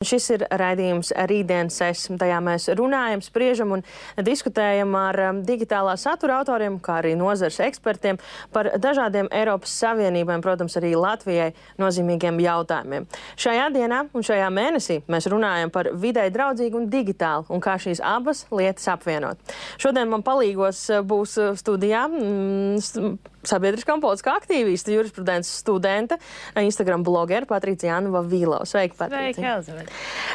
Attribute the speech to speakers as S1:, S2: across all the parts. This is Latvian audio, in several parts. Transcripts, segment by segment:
S1: Šis ir raidījums Rītdienas es. Tajā mēs runājam, spriežam un diskutējam ar digitālā satura autoriem, kā arī nozares ekspertiem par dažādiem Eiropas Savienībām, protams, arī Latvijai nozīmīgiem jautājumiem. Šajā dienā un šajā mēnesī mēs runājam par videi draudzīgu un digitālu un kā šīs abas lietas apvienot. Šodien man palīgos būs studijā sabiedriskā un politiskā aktīvista, jurisprudences studente, Instagram blogera Patricija Anva Vīlova. Sveika, Patricija.
S2: Sveika, Elizabete.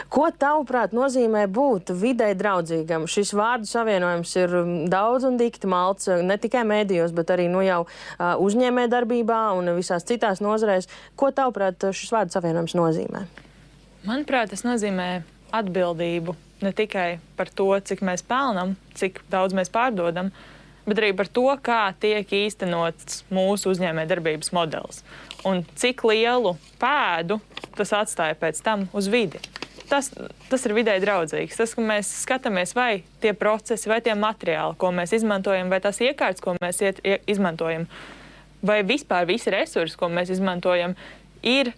S1: Ko tavuprāt nozīmē būt videi draudzīgam? Šis vārdu savienojums ir daudz un dikti malts, ne tikai mēdījos, bet arī jau uzņēmē darbībā un visās citās nozarēs. Ko tavuprāt šis vārdu savienojums nozīmē?
S2: Manuprāt, tas nozīmē atbildību ne tikai par to, cik mēs pelnam, cik daudz mēs pārdodam, bet arī par to, kā tiek īstenots mūsu uzņēmē darbības modelis un cik lielu pēdu tas atstāja pēc tam uz vidi. Tas ir videi draudzīgs. Tas, ka mēs skatāmies, vai tie procesi, vai tie materiāli, ko mēs izmantojam, vai tās iekārtas, ko mēs izmantojam, vai vispār visi resursi, ko mēs izmantojam, ir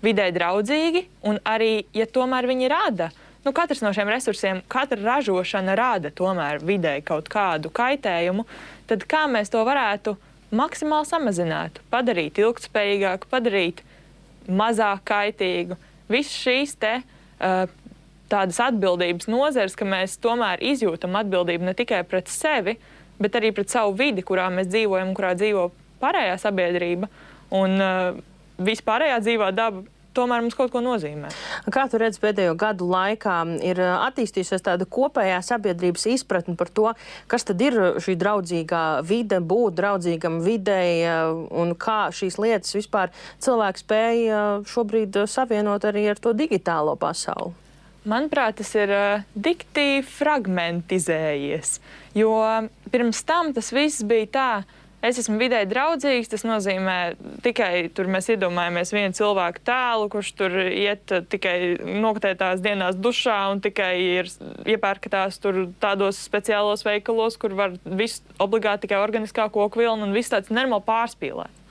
S2: videi draudzīgi, un arī, ja tomēr viņi rada, katrs no šiem resursiem, katra ražošana rada tomēr videi kaut kādu kaitējumu, tad kā mēs to varētu maksimāli samazināt, padarīt ilgtspējīgāku, padarīt mazāk kaitīgu. Visas šīs tādas atbildības nozares, ka mēs tomēr izjūtam atbildību ne tikai pret sevi, bet arī pret savu vidi, kurā mēs dzīvojam, kurā dzīvo pārējā sabiedrība un vispārējā dzīvā daba. Tomēr mums kaut ko nozīmē.
S1: Kā tu redzi, pēdējo gadu laikā ir attīstījusies tāda kopējā sabiedrības izpratne par to, kas tad ir šī draudzīgā vide, būt draudzīgam videi un kā šīs lietas vispār cilvēki spēja šobrīd savienot arī ar to digitālo pasauli?
S2: Manuprāt, tas ir dikti fragmentizējies, jo pirms tam tas viss bija tā, es esmu videi draudzīgs, tas nozīmē tikai tur mēs iedomājamies vienu cilvēku tēlu, kurš tur iet tikai nokatētās dienās dušā un tikai ir iepērkatās tur tādos speciālos veikalos, kur var visu obligāti tikai organiskā koku vilna un viss tāds normāli pārspīlēt.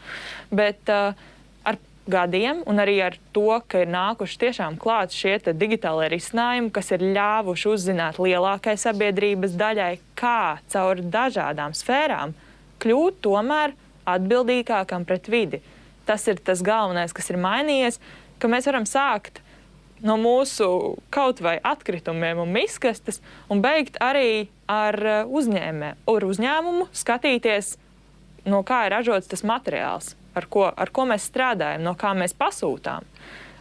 S2: Bet ar gadiem un arī ar to, ka ir nākuši tiešām klāt šie digitālie risinājumi, kas ir ļāvuši uzzināt lielākai sabiedrības daļai, kā caur dažādām sfērām kļūt tomēr atbildīgākam pret vidi. Tas ir tas galvenais, kas ir mainījies, ka mēs varam sākt no mūsu kaut vai atkritumiem un miskastes un beigt arī ar uzņēmumu skatīties, no kā ir ražots tas materiāls, ar ko mēs strādājam, no kā mēs pasūtām.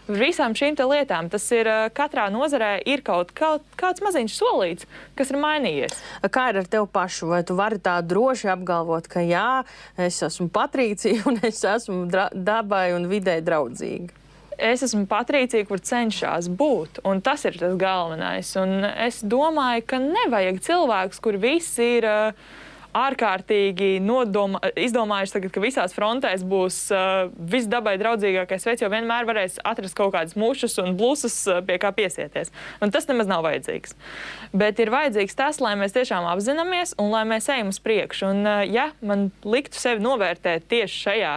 S2: Visām šīm lietām tas ir katrā nozarē ir kāds maziņš solīts, kas ir mainījies.
S1: Kā ir ar tevi pašu? Vai tu vari tā droši apgalvot, ka jā, es esmu Patricija un es esmu dabai un videi draudzīga?
S2: Es esmu Patricija, kur cenšas būt, un tas ir tas galvenais. Un es domāju, ka nevajag cilvēkus, kur visi ir ārkārtīgi izdomājuši tagad, ka visās frontēs būs viss dabai draudzīgākais veids, jo vienmēr varēs atrast kaut kādas mušas un blusas, pie kā piesieties. Un tas nemaz nav vajadzīgs. Bet ir vajadzīgs tas, lai mēs tiešām apzināmies un lai mēs ejam uz priekšu. Un ja man liktu sevi novērtēt tieši šajā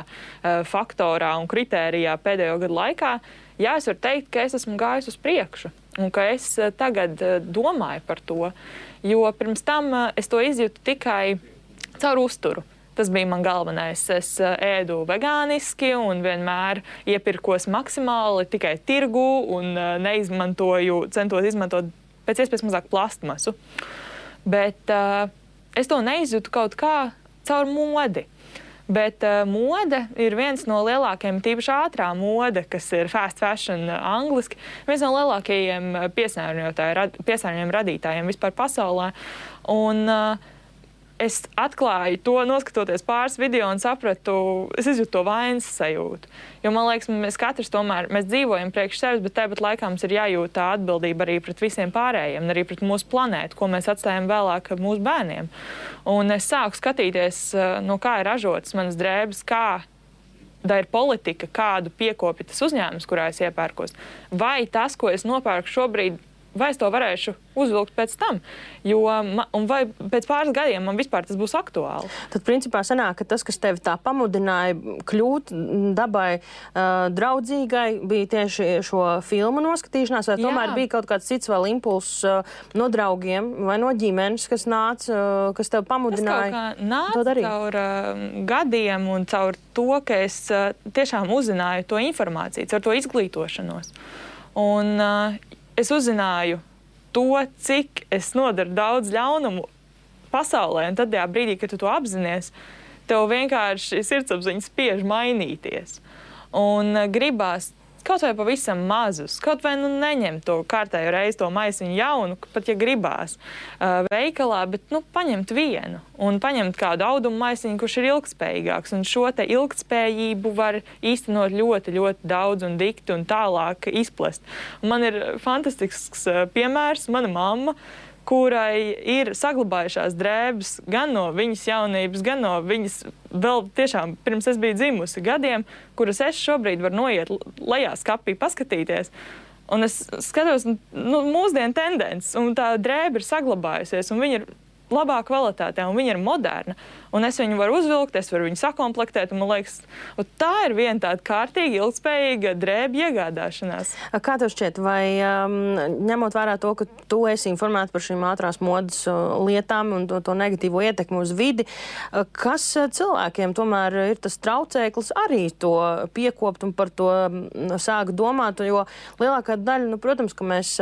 S2: faktorā un kritērijā pēdējo gadu laikā, jā, es varu teikt, ka es esmu gājis uz priekšu un ka es tagad domāju par to, jo pirms tam es to izjūtu tikai caur uzturu. Tas bija man galvenais. Es ēdu vegāniski un vienmēr iepirkos maksimāli tikai tirgu un centos izmantot pēc iespējas mazāk plastmasu. Bet es to neizjūtu kaut kā caur modi. Bet mode ir viens no lielākajiem, tīpaši ātrā mode, kas ir fast fashion angliski, viens no lielākajiem piesārņojumu radītājiem vispār pasaulē. Un es atklāju to, noskatoties pāris video un sapratu, es izjūtu to vainas sajūtu. Jo man liekas, mēs katrs tomēr, mēs dzīvojam priekš sevis, bet tāpat laikā mums ir jājūt tā atbildība arī pret visiem pārējiem, arī pret mūsu planētu, ko mēs atstājam vēlāk mūsu bērniem. Un es sāku skatīties, no kā ir ražotas manas drēbes, kāda ir politika, kādu piekopja tas uzņēmums, kurā es iepērkos. Vai tas, ko es nopērku šobrīd, vai es to varēšu uzvilkt pēc tam, un vai pēc pāris gadiem man vispār tas būs aktuāli.
S1: Tad, principā, sanāk, ka tas, kas tevi tā pamudināja kļūt dabai draudzīgai, bija tieši šo filmu noskatīšanās, vai tomēr bija kaut kāds cits vēl impulss no draugiem vai no ģimenes, kas nāca, kas tev pamudināja to darīt?
S2: Tas kaut kā nāca caur gadiem un caur to, ka es tiešām uzzināju to informāciju, caur to izglītošanos. Un es uzzināju to, cik es nodaru daudz ļaunumu pasaulē, un tad tajā brīdī, kad tu to apzinies, tev vienkārši sirdsapziņa spiež mainīties. Un gribās kaut vai pavisam mazus, kaut vai neņem to kārtējo reizi to maisiņu jaunu, pat ja gribās veikalā, bet paņemt vienu un paņemt kādu audumu maisiņu, kurš ir ilgtspējīgāks. Un šo te ilgtspējību var īstenot ļoti, ļoti daudz un dikti un tālāk izplest. Un man ir fantastisks piemērs, mana mamma, kurai ir saglabājušās drēbes gan no viņas jaunības, gan no viņas vēl tiešām pirms es biju dzimusi gadiem, kuras es šobrīd varu noiet lejā skapī paskatīties. Un es skatos mūsdienu tendences, un tā drēbe ir saglabājusies, un viņa ir labā kvalitātē, un viņa ir moderna. Un es viņu varu uzvilkt, es varu viņu sakomplektēt, un man liekas, tā ir viena tāda kārtīga, ilgspējīga drēbja iegādāšanās.
S1: Kā tev šķiet, vai ņemot vērā to, ka tu esi informēta par šīm ātrās modes lietām un to negatīvo ietekmi uz vidi, kas cilvēkiem tomēr ir tas traucēklis arī to piekopt un par to sāk domāt, jo lielākā daļa, protams, ka mēs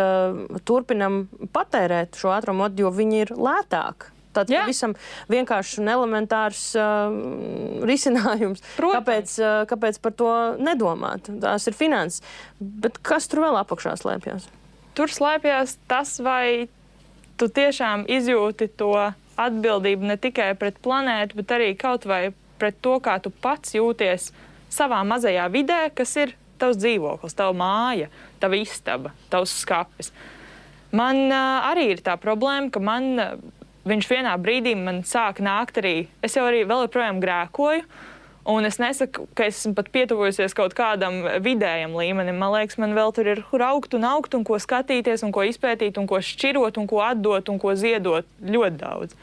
S1: turpinam patērēt šo ātro modu, jo viņi ir lētāk. Tāds pavisam vienkāršs un elementārs risinājums. Kāpēc par to nedomāt? Tās ir finanses. Bet kas tur vēl apakšā slēpjas?
S2: Tur slēpjas tas, vai tu tiešām izjūti to atbildību ne tikai pret planētu, bet arī kaut vai pret to, kā tu pats jūties savā mazajā vidē, kas ir tavs dzīvoklis, tava māja, tava istaba, tavs skapis. Man arī ir tā problēma, ka viņš vienā brīdī man sāk nākt arī, es jau arī vēl joprojām grēkoju, un es nesaku, ka es esmu pat pietuvojusies kaut kādam vidējam līmenim. Man liekas, man vēl tur ir augt, un ko skatīties, un ko izpētīt, un ko šķirot, un ko atdot, un ko ziedot ļoti daudz.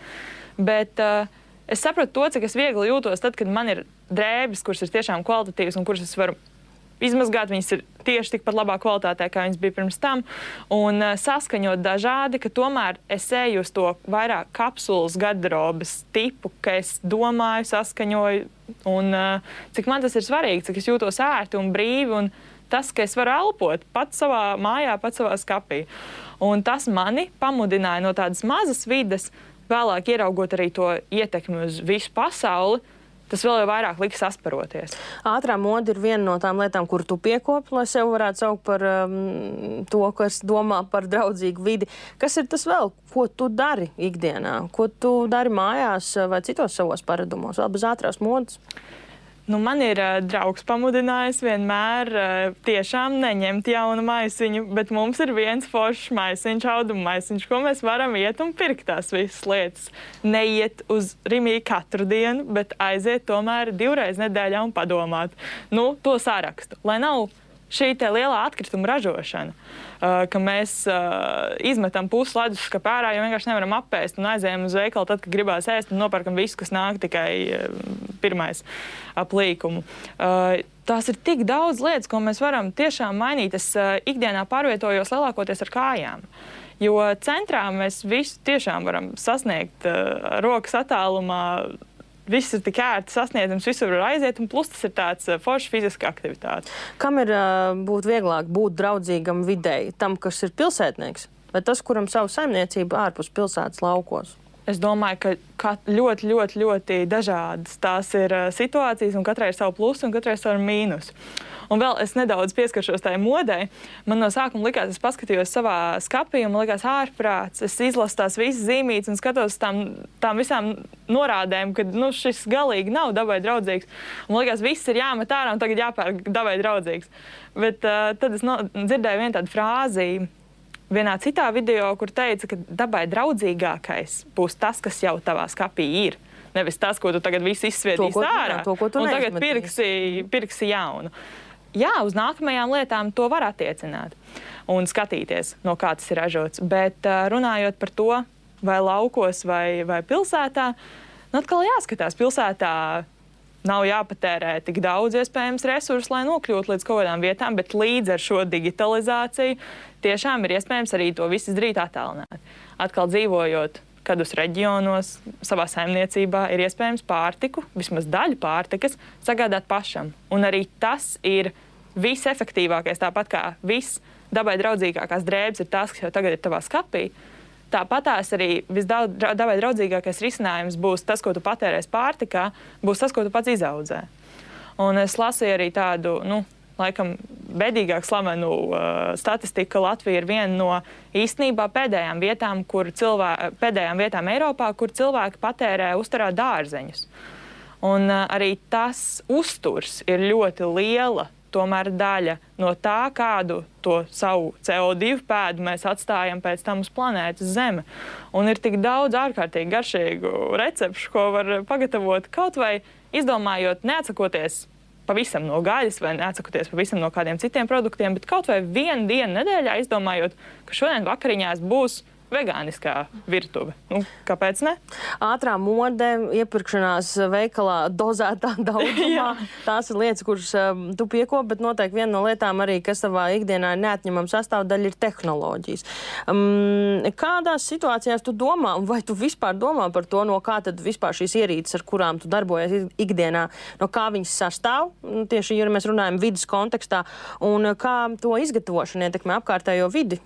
S2: Bet es sapratu to, cik es viegli jūtos tad, kad man ir drēbes, kuras ir tiešām kvalitatīvas, un kuras es varu izmazgāt, viņas ir tieši tikpat labā kvalitātē, kā viņas bija pirms tam, un saskaņot dažādi, ka tomēr es eju uz to vairāk kapsulas garderobes tipu, ka es domāju, saskaņoju, un cik man tas ir svarīgi, cik es jūtos ērti un brīvi, un tas, ka es varu elpot pats savā mājā, pats savā skapī. Un tas mani pamudināja no tādas mazas vides, vēlāk ieraugot arī to ietekmi uz visu pasauli, tas vēl jau vairāk liks sasparoties.
S1: Ātrā moda ir viena no tām lietām, kur tu piekopi, lai sev varētu saukt par to, kas domā par draudzīgu vidi. Kas ir tas vēl, ko tu dari ikdienā? Ko tu dari mājās vai citos savos paradumos, vēl bez ātrās modas?
S2: Man ir draugs pamudinājis vienmēr tiešām neņemt jaunu maisiņu, bet mums ir viens foršs maisiņš, audumu maisiņš, ko mēs varam iet un pirkt tās visas lietas. Neiet uz Rimī katru dienu, bet aiziet tomēr 2 reizes nedēļā un padomāt. To sarakstu, lai nav šī te lielā atkrituma ražošana, ka mēs izmetam pusi leduskapī ārā, jo vienkārši nevaram apēst un aizējam uz veikalu tad, kad gribās ēst un nopērkam visu, kas nāk tikai pirmais ap līkumu. Tās ir tik daudz lietas, ko mēs varam tiešām mainīt. Es ikdienā pārvietojos lielākoties ar kājām. Jo centrā mēs visu tiešām varam sasniegt rokas attālumā. Viss ir tik ērti sasniedzams, visur var aiziet, un plus tas ir tāds foršs fiziska aktivitāte.
S1: Kam ir būt vieglāk būt draudzīgam videi? Tam, kas ir pilsētnieks? Vai tas, kuram savu saimniecību ārpus pilsētas laukos?
S2: Es domāju, ka ļoti, ļoti, ļoti dažādas tās ir situācijas, un katrai ir savu plusu, un katrai ir savu mīnusu. Un vēl es nedaudz pieskaršos tai modei. Man no sākuma likās, es paskatījos savā skapī, un man likās ārprāts. Es izlasu tās visas zīmītes un skatos tām visām norādēm, ka šis galīgi nav dabai draudzīgs. Un man likās, viss ir jāmet ārā un tagad jāpērk dabai draudzīgs. Bet tad es dzirdēju vienu tādu frāzi vienā citā video, kur teica, ka dabai draudzīgākais būs tas, kas jau tavā skapī ir. Nevis tas, ko tu tagad visu izsviedīsi ārā, un tagad pirksi jaunu. Jā, uz nākamajām lietām to var attiecināt. un skatīties, no kā tas ir ražots. Bet runājot par to, vai laukos vai pilsētā, atkal jāskatās. Pilsētā nav jāpatērē tik daudz iespējams resursu, lai nokļūtu līdz kaut kādām vietām, bet līdz ar šo digitalizāciju tiešām ir iespējams arī to visu izdarīt attālināti. Atkal dzīvojot kādos reģionos, savā saimniecībā, ir iespējams pārtiku, vismaz daļu pārtikas, sagādāt pašam. Un arī tas ir visefektīvākais, tāpat kā viss dabai draudzīgākās drēbes ir tās, kas jau tagad ir tavā skapī. Tāpatās arī visdabai draudzīgākais risinājums būs tas, ko tu patērēsi pārtikā, būs tas, ko tu pats izaudzē. Un es lasīju arī tādu, laikam, bedīgāk slavenu statistiku, ka Latvija ir viena no īstenībā pēdējām vietām Eiropā, kur cilvēki patērē uzturā dārzeņus. Un arī tas uzturs ir ļoti liela tomēr daļa no tā, kādu to savu CO2 pēdu mēs atstājam pēc tam uz planētas Zeme. Un ir tik daudz ārkārtīgi garšīgu recepšu, ko var pagatavot kaut vai izdomājot, neatsakoties pavisam no gaļas vai neatsakoties pavisam no kādiem citiem produktiem, bet kaut vai vienu dienu nedēļā izdomājot, ka šodien vakariņās būs vegāniskā virtuve. Kāpēc ne?
S1: Ātrā mode, iepirkšanās veikalā dozētā daudzumā. Tās ir lietas, kuras tu piekopi, bet noteikti viena no lietām arī, kas savā ikdienā ir neatņemama sastāvdaļa, ir tehnoloģijas. Kādās situācijās tu domā, vai tu vispār domā par to, no kā tad vispār šīs ierīces, ar kurām tu darbojies ikdienā, no kā viņas sastāv, tieši, ja mēs runājam vidas kontekstā, un kā to izgatavošana ietekmē apkārtējo vidi?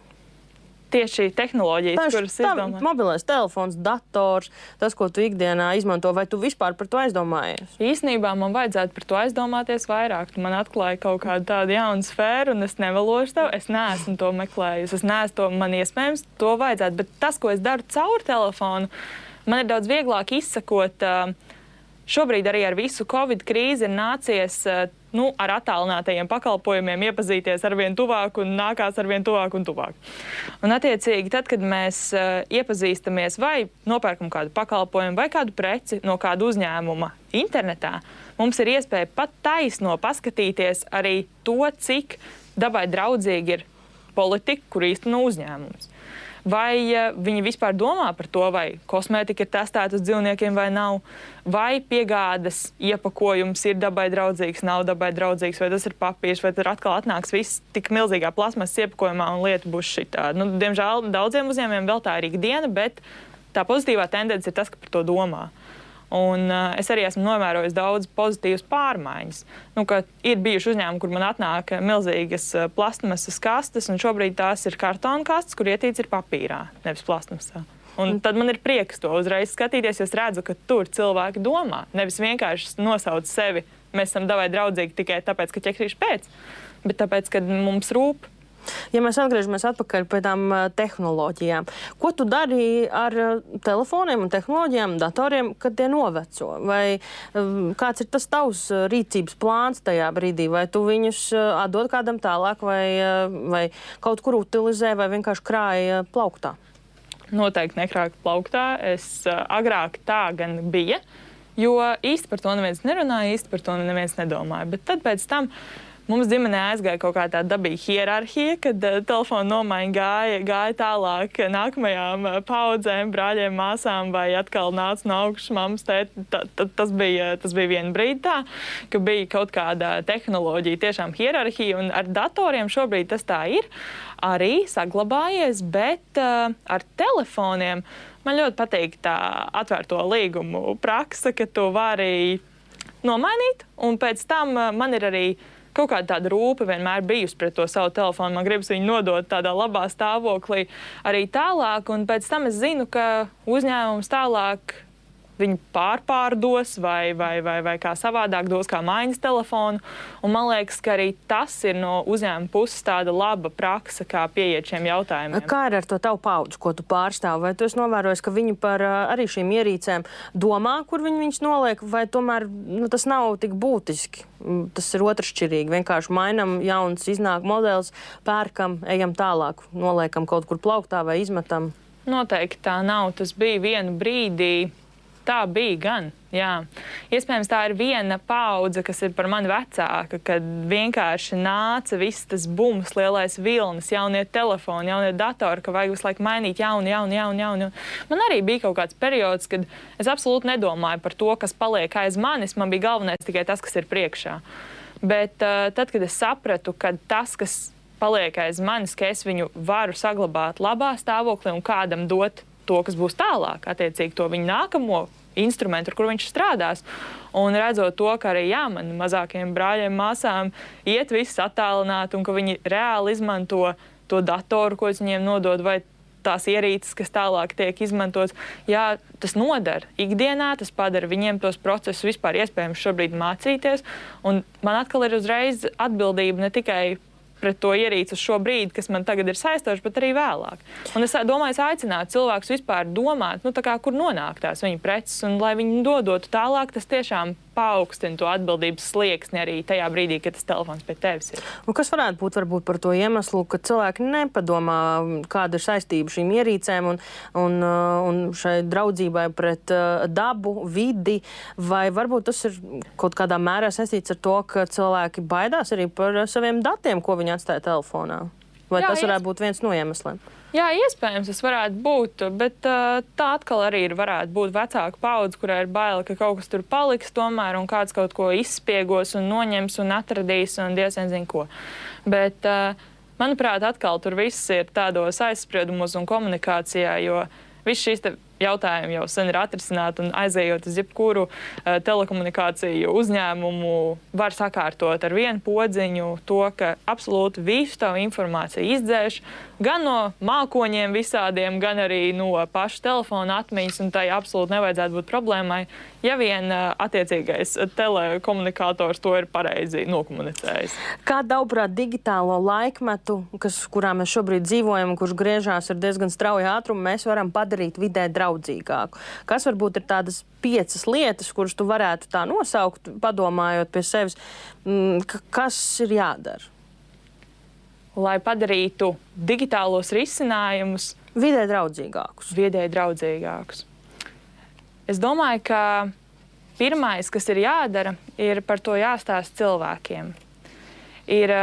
S2: Tieši tehnoloģijas, kuras izdomā.
S1: Mobilais telefons, dators, tas, ko tu ikdienā izmanto, vai tu vispār par to aizdomājies?
S2: Īsnībā man vajadzētu par to aizdomāties vairāk. Man atklāja kaut kādu tādu jaunu sfēru, un es nevelošu tev, es neesmu to meklējusi, es neesmu to, man iespējams to vajadzētu, bet tas, ko es daru caur telefonu, man ir daudz vieglāk izsakot. Šobrīd arī ar visu Covid krīzi ir nācies ar attālinātajiem pakalpojumiem iepazīties arvien tuvāk un nākās arvien tuvāk un tuvāk. Un attiecīgi, tad, kad mēs iepazīstamies vai nopērkam kādu pakalpojumu vai kādu preci no kāda uzņēmuma internetā, mums ir iespēja pat taisno paskatīties arī to, cik dabai draudzīgi ir politika, kur īsteno uzņēmums. Vai viņi vispār domā par to, vai kosmētika ir testēta uz dzīvniekiem vai nav, vai piegādes iepakojums ir dabai draudzīgs, nav dabai draudzīgs, vai tas ir papīrs, vai tad atkal atnāks viss tik milzīgā plasmas iepakojumā un lieta būs šitā. Diemžēl daudziem uzņēmumiem vēl tā ir ikdiena, bet tā pozitīvā tendence ir tas, ka par to domā. Un es arī esmu novērojis daudz pozitīvas pārmaiņas. Ka ir bijuši uzņēmumi, kur man atnāk milzīgas plastmasas kastes, un šobrīd tās ir kartona kastes, kur ietīts ir papīrā, nevis plastmasā. Un tad man ir prieks to uzreiz skatīties, jo es redzu, ka tur cilvēki domā. Nevis vienkārši nosauc sevi, mēs esam dabai draudzīgi tikai tāpēc, ka ķekrīši pēc, bet tāpēc, ka mums rūp.
S1: Ja mēs atgriežamies atpakaļ pie tām tehnoloģijām, ko tu dari ar telefoniem un tehnoloģijām, datoriem, kad tie noveco? Vai kāds ir tas tavs rīcības plāns tajā brīdī? Vai tu viņus atdod kādam tālāk, vai kaut kur utilizē, vai vienkārši krāja plauktā?
S2: Noteikti nekrāju plauktā. Es agrāk tā gan bija, jo īsti par to neviens nerunāja, īsti par to neviens nedomāja. Bet tad pēc tam mums ģimenē aizgāja kaut kā tāda dabīga hierarhija, kad telefona nomaiņa gāja tālāk nākamajām paudzēm, brāļiem, māsām, vai atkal nāca no augšas mammas tēt. Tas bija vienu brīdi tā, ka bija kaut kāda tehnoloģija, tiešām hierarhija, un ar datoriem šobrīd tas tā ir arī saglabājies, bet ar telefoniem man ļoti patīk tā atvērto līgumu praksa, ka to vari nomainīt, un pēc tam man ir arī kaut kāda tāda rūpe vienmēr bijusi pret to savu telefonu. Man gribas viņu nodot tādā labā stāvoklī arī tālāk, un pēc tam es zinu, ka uzņēmums tālāk viņu pārpārdos vai kā savādāk dos kā maiņas telefonu. Un man liekas, ka arī tas ir no uzņēmuma puses tāda laba praksa, kā pieiet šiem jautājumiem.
S1: Kā ir ar to tavu paudzi, ko tu pārstāv? Vai tu esi novērojis, ka viņi par arī šīm ierīcēm domā, kur viņi viņus noliek, vai tomēr tas nav tik būtiski? Tas ir otršķirīgi. Vienkārši mainam jauns, iznāk modelis, pērkam, ejam tālāk, noliekam kaut kur plauktā vai izmetam?
S2: Noteikti tā nav. Tas bija vienu brīdī tā bija gan. Jā. Iespējams, tā ir viena paudze, kas ir par mani vecāka, kad vienkārši nāca viss tas bums, lielais vilnis, jaunie telefoni, jaunie datori, ka vajag visu laiku mainīt jaunu. Man arī bija kaut kāds periods, kad es absolūti nedomāju par to, kas paliek aiz manis. Man bija galvenais tikai tas, kas ir priekšā. Bet tad, kad es sapratu, ka tas, kas paliek aiz manis, ka es viņu varu saglabāt labā stāvoklī un kādam dot to, kas būs tālāk, attiecīgi to viņu nākamo instrumentu, ar kur viņš strādās. Un redzot to, ka arī man mazākiem brāļiem, māsām iet viss attālināt un ka viņi reāli izmanto to datoru, ko es viņiem nodod, vai tās ierīces, kas tālāk tiek izmantotas. Jā, tas nodara ikdienā, tas padara viņiem tos procesus vispār iespējams šobrīd mācīties. Un man atkal ir uzreiz atbildība ne tikai pret to ierīci uz šo brīdi, kas man tagad ir saistoši, bet arī vēlāk. Un es domāju, es aicinātu cilvēkus vispār domāt, kur nonāk tās viņa preces, un lai viņi dodotu tālāk, tas tiešām paaugstina to atbildības slieksni arī tajā brīdī, kad tas telefons pie tevis ir.
S1: Un kas varētu būt varbūt par to iemeslu, ka cilvēki nepadomā, kāda ir saistība šīm ierīcēm un šai draudzībai pret dabu, vidi, vai varbūt tas ir kaut kādā mērā saistīts ar to, ka cilvēki baidās arī par saviem datiem, ko viņi atstāja telefonā? Vai tas varētu būt viens no iemesliem?
S2: Jā, iespējams, tas varētu būt, bet tā atkal arī varētu būt vecāka paudze, kurai ir baila, ka kaut kas tur paliks tomēr un kāds kaut ko izspiegos un noņems un atradīs un diezgan zina ko. Bet, manuprāt, atkal tur viss ir tādos aizspriedumos un komunikācijā, jo viss šīs jautājumi jau sen ir atrisināti un aizējot uz jebkuru telekomunikāciju uzņēmumu var sakārtot ar vienu podziņu to, ka absolūti visu tavu informāciju izdzēš gan no mākoņiem visādiem, gan arī no paša telefona atmiņas, un tai absolūti nevajadzētu būt problēmai, ja vien attiecīgais telekomunikators to ir pareizi nokomunicējis.
S1: Kā tavuprāt digitālo laikmetu, kurā mēs šobrīd dzīvojam, kurš griežās ar diezgan strauju ātrumu, mēs varam padarīt vidē draudzīgāku? Kas varbūt ir tādas 5 lietas, kuras tu varētu tā nosaukt, padomājot pie sevis, kas ir jādara?
S2: Lai padarītu digitālos risinājumus
S1: vidē draudzīgākus. Es domāju, ka pirmais, kas ir jādara, ir par to jāstāst cilvēkiem. Ir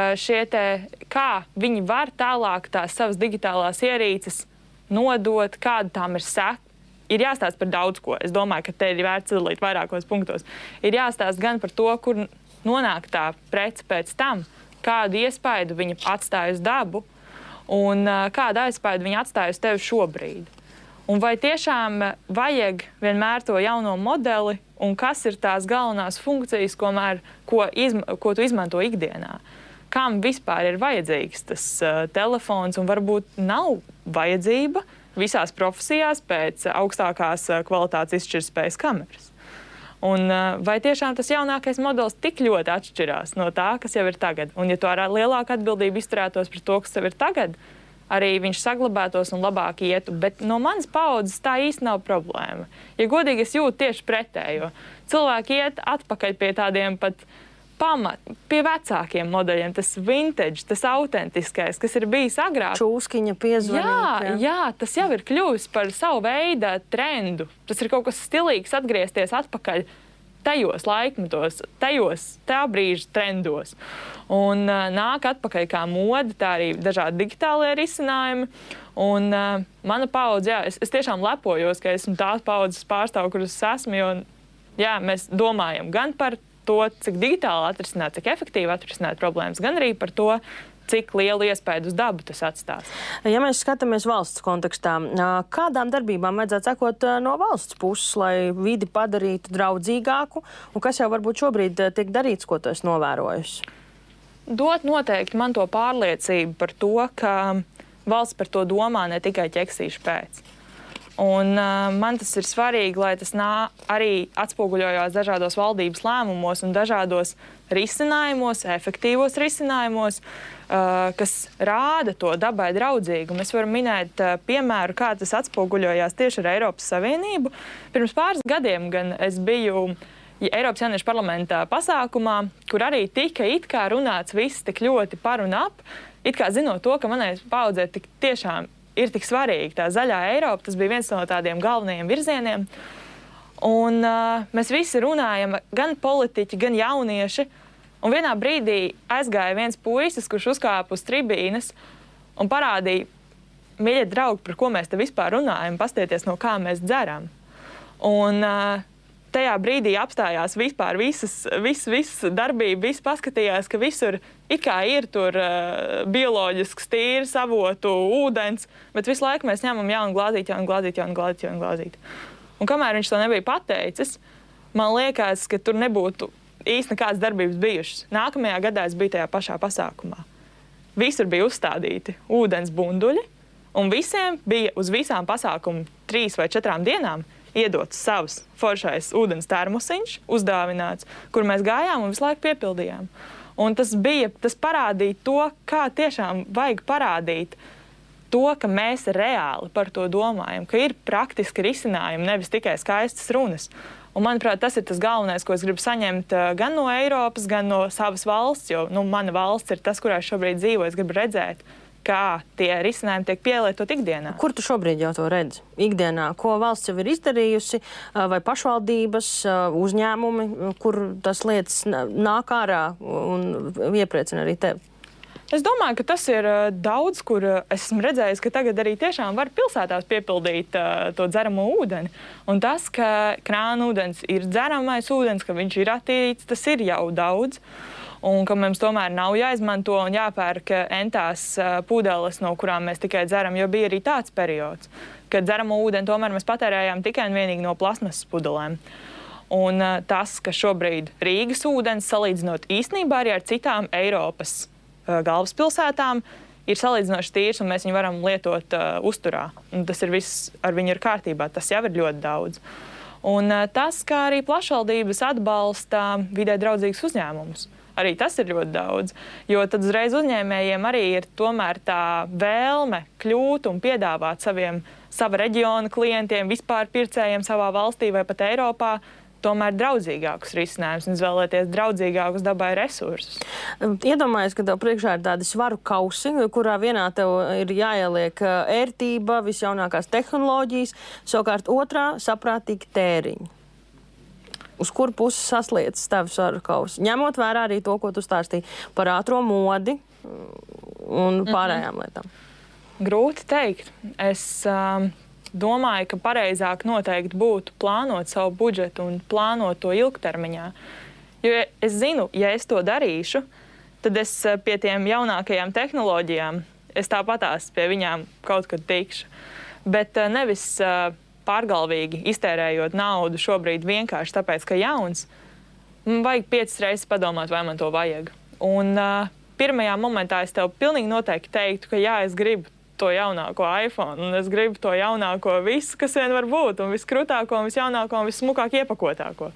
S1: kā viņi var tālāk tās savas digitālās ierīces nodot, kāda tām ir seka. Ir jāstāst par daudz ko. Es domāju, ka te ir vērts sadalīt vairākos punktos. Ir jāstāst gan par to, kur nonāk tā prece pēc tam, kādu iespaidu viņa atstāja uz dabu un kādu iespaidu viņa atstāja uz tevi šobrīd. Un vai tiešām vajag vienmēr to jauno modeli un kas ir tās galvenās funkcijas, ko tu izmanto ikdienā? Kam vispār ir vajadzīgs tas telefons un varbūt nav vajadzība visās profesijās pēc augstākās kvalitātes izšķirtspējas kameras? Un vai tiešām tas jaunākais modelis tik ļoti atšķirās no tā, kas jau ir tagad? Un ja tu ar lielāku atbildību izturētos par to, kas tev ir tagad, arī viņš saglabātos un labāk ietu. Bet no manas paudzes tā īsti nav problēma. Ja godīgi, es jūtu tieši pretējo. Cilvēki iet atpakaļ pie tādiem pat pie vecākiem modeļiem, tas vintage, tas autentiskais, kas ir bijis agrāk. Čūskiņa piezvanīt.
S2: Jā, tas jau ir kļuvis par savu veidu trendu. Tas ir kaut kas stilīgs atgriezties atpakaļ tajos laikmetos, tā brīža trendos. Un nāk atpakaļ kā mode, tā arī dažādi digitālie risinājumi. Un mana paudze, es tiešām lepojos, ka esmu tās paudzes pārstāvu, kuras esmu, jo mēs domājam gan par to, cik digitāli atrisināt, cik efektīvi atrisināt problēmas, gan arī par to, cik lielu iespēju uz dabu tas atstās.
S1: Ja mēs skatāmies valsts kontekstā, kādām darbībām vajadzētu sekot no valsts puses, lai vidi padarītu draudzīgāku, un kas jau varbūt šobrīd tiek darīts, ko tu esi novērojusi?
S2: Dot noteikti man to pārliecību par to, ka valsts par to domā ne tikai ķeksīšu pēc. Un man tas ir svarīgi, lai tas arī atspoguļojās dažādos valdības lēmumos un dažādos risinājumos, efektīvos risinājumos, kas rāda to dabai draudzīgumu. Mēs varam minēt piemēru, kā tas atspoguļojās tieši ar Eiropas Savienību. Pirms pāris gadiem gan es biju Eiropas jauniešu parlamentā pasākumā, kur arī tika it kā runāts viss tik ļoti par un ap, it kā zinot to, ka manai paudzē tiešām ir tik svarīga tā zaļā Eiropa. Tas bija viens no tādiem galvenajiem virzieniem. Un mēs visi runājam, gan politiķi, gan jaunieši. Un vienā brīdī aizgāja viens puisis, kurš uzkāpa uz tribīnes un parādīja, mīļie draugi, par ko mēs te vispār runājam, pastieties, no kā mēs dzeram. Un tajā brīdī apstājās vispār viss darbība, viss paskatījās, ka visur it kā ir tur bioloģisks tīrs, avotu, ūdens, bet visu laiku mēs ņemam jaunu glāzīti. Un kamēr viņš to nebija pateicis, man liekas, ka tur nebūtu īsti nekādas darbības bijušas. Nākamajā gadā es biju tajā pašā pasākumā. Visur bija uzstādīti ūdens bunduļi, un visiem bija uz visām pasākumu 3 vai 4 dienām iedots savs foršais ūdens termosiņš, uzdāvināts, kur mēs gājām un visu laiku piepildījām. Un tas parādīja to, kā tiešām vajag parādīt to, ka mēs reāli par to domājam, ka ir praktiski risinājumi, nevis tikai skaistas runas. Un, manuprāt, tas ir tas galvenais, ko es gribu saņemt gan no Eiropas, gan no savas valsts, jo mana valsts ir tas, kurā es šobrīd dzīvoju. Es gribu redzēt, kā tie risinājumi tiek pielietot ikdienā.
S1: Kur tu šobrīd jau to redzi? Ikdienā, ko valsts jau ir izdarījusi, vai pašvaldības, uzņēmumi, kur tas lietas nāk ārā un iepriecina arī tevi?
S2: Es domāju, ka tas ir daudz, kur esmu redzējis, ka tagad arī tiešām var pilsētās piepildīt to dzeramo ūdeni. Un tas, ka krāna ūdens ir dzeramais ūdens, ka viņš ir attīrīts, tas ir jau daudz. Un ka mums tomēr nav jāizmanto un jāpērk entās pudeles, no kurām mēs tikai dzeram, jo bija arī tāds periods, kad dzeramo ūdeni tomēr mēs patērējām tikai un vienīgi no plasmasas pudelēm. Un tas, ka šobrīd Rīgas ūdens, salīdzinot īstenībā arī ar citām Eiropas galvaspilsētām, ir salīdzinoši tīrs, un mēs viņu varam lietot uzturā. Un tas ir viss ar viņu ir kārtībā. Tas jau ir ļoti daudz. Un tas, kā arī plašvaldības atbalsta vidē draudzīgus uzņēmumus, arī tas ir ļoti daudz. Jo tad uzreiz uzņēmējiem arī ir tomēr tā vēlme kļūt un piedāvāt sava reģiona klientiem, vispār pircējiem savā valstī vai pat Eiropā, tomēr draudzīgākus risinājumus un izvēlēties draudzīgākus dabai resursus.
S1: Iedomājies, ka tev priekšā ir tādi svaru kausi, kurā vienā tev ir jāieliek ērtība, visjaunākās tehnoloģijas, savukārt otrā saprātīgi tēriņi. Uz kuru pusi sasliecas tavi svaru kausi? Ņemot vērā arī to, ko tu stāstīji par ātro modi un pārējām lietām.
S2: Grūti teikt. Es domāju, ka pareizāk noteikti būtu plānot savu budžetu un plānot to ilgtermiņā. Jo es zinu, ja es to darīšu, tad es pie tiem jaunākajām tehnoloģijām, es tāpatās pie viņām kaut kad tikšu. Bet nevis pārgalvīgi iztērējot naudu šobrīd vienkārši tāpēc, ka jauns, man vajag 5 reizes padomāt, vai man to vajag. Un pirmajā momentā es tev pilnīgi noteikti teiktu, ka jā, es gribu to jaunāko iPhone, un es gribu to jaunāko visu, kas vien var būt, un viskrutāko, un visjaunāko, un vissmukāk iepakotāko.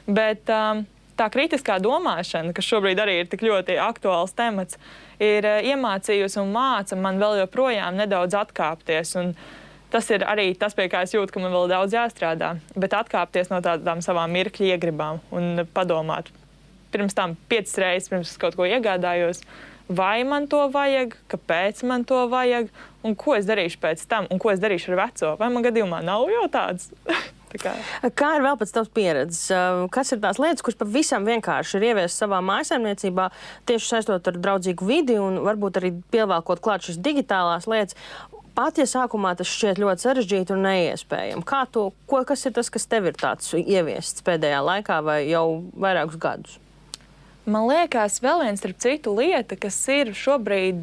S2: Bet tā kritiskā domāšana, kas šobrīd arī ir tik ļoti aktuāls temats, ir iemācījusi un māca man vēl joprojām nedaudz atkāpties. Un tas ir arī tas, pie kā es jūtu, ka man vēl daudz jāstrādā. Bet atkāpties no tādām savām mirkļa iegribām un padomāt pirms tam 5 reizes, pirms kaut ko iegādājos, vai man to vajag, kāpēc man to vajag, un ko es darīšu pēc tam, un ko es darīšu ar veco. Vai man gadījumā nav jau tāds?
S1: Kā ir vēl pēc tavas pieredzes? Kas ir tās lietas, kuras pavisam vienkārši ir ieviestas savā mājsaimniecībā, tieši saistot ar draudzīgu vidi un varbūt arī pievēlkot klāt šīs digitālās lietas? Pat ja sākumā tas šķiet ļoti sarežģīti un neiespējami. Kas ir tas, kas tev ir tāds ieviests pēdējā laikā vai jau vairākus gadus?
S2: Man liekas, vēl viens starp citu lieta, kas ir šobrīd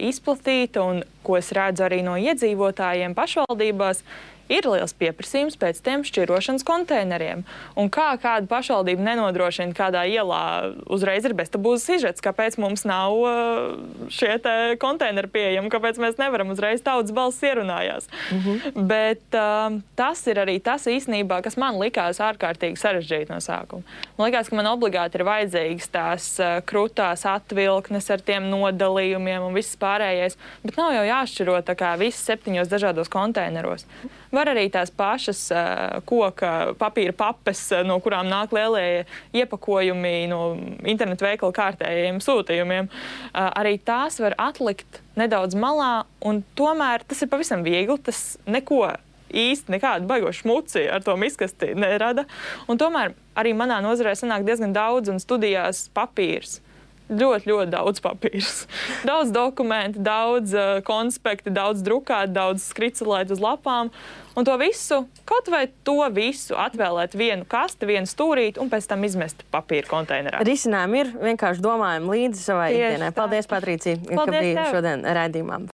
S2: izplatīta un ko es redzu arī no iedzīvotājiem pašvaldībās, ir liels pieprasījums pēc tiem šķirošanas konteineriem. Un kā kāda pašvaldība nenodrošina kādā ielā uzreiz ir beztabūzas sižets, kāpēc mums nav šie te konteineri pieejami, kāpēc mēs nevaram uzreiz tautas balss ierunājās. Bet tas ir arī tas īstenībā, kas man likās ārkārtīgi sarežģīti no sākuma. Man likās, ka man obligāti ir vajadzīgas tās krutās atvilknes ar tiem nodalījumiem un viss pārējais, bet nav jau jāšķiro tā kā viss 7 dažādos konteineros. Var arī tās pašas koka papīra papes, no kurām nāk lielie iepakojumi no internetu veikala kārtējiem sūtījumiem. Arī tās var atlikt nedaudz malā, un tomēr tas ir pavisam viegli. Tas neko īsti nekādu baigošu šmuci ar to miskasti nerada. Un tomēr arī manā nozarē sanāk diezgan daudz un studijās papīrs. Ļoti, ļoti daudz papīrs. Daudz dokumentu, daudz konspekti, daudz drukāt, daudz skricelēt uz lapām. Un to visu, kaut vai to visu atvēlēt vienu kasti, vienu stūrīti un pēc tam izmest papīra konteinerā.
S1: Risinājumi ir, vienkārši domājam līdzi savai ikdienai. Paldies, Patricija, ka biji šodien raidījumā.